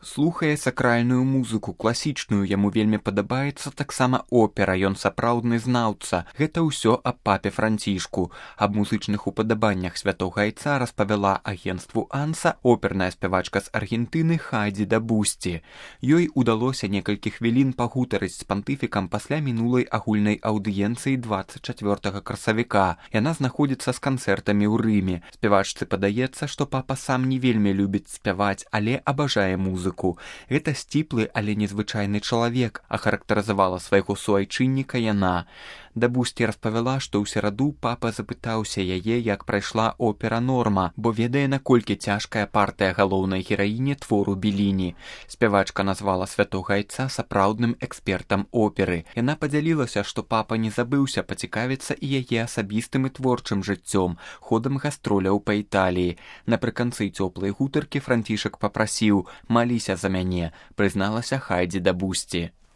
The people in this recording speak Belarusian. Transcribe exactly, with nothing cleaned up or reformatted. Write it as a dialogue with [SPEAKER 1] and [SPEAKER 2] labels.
[SPEAKER 1] Слухае сакральную музыку, класічную, яму вельмі падабаецца таксама опера, ён сапраўдны знаўца. Гэта ўсё аб папе Францішку. Аб музычных упадабаннях святога айца распавяла агенцтву Анса оперная спявачка з Аргентыны Хайдзі да Бусці. Ёй удалося некалькі хвілін пагутарыць з пантыфікам пасля мінулай агульнай аўдыенцыі дваццаць чацвёртага красавіка. Яна знаходзіцца з канцэртамі ў Рыме. Спявачцы падаецца, што папа сам не вельмі любіць спяваць, але абажае музыку. Гэта сціплы, але незвычайны чалавек, ахарактарызавала свайго суайчынніка яна. Да Бусці распавяла, што ў сераду папа запытаўся яе, як прайшла опера «Норма», бо ведае, наколькі цяжкая партыя галоўнай гераіні твору Беліні. Спявачка назвала святога айца сапраўдным экспертам оперы. Яна падзялілася, што папа не забыўся пацікавіцца і яе асабістым і творчым жыццём, ходам гастроляў па Італіі. Напрыканцы цёплай гутаркі Францішак папрасіў: «Маліся за мяне», прызналася Хайдзі да Бусці.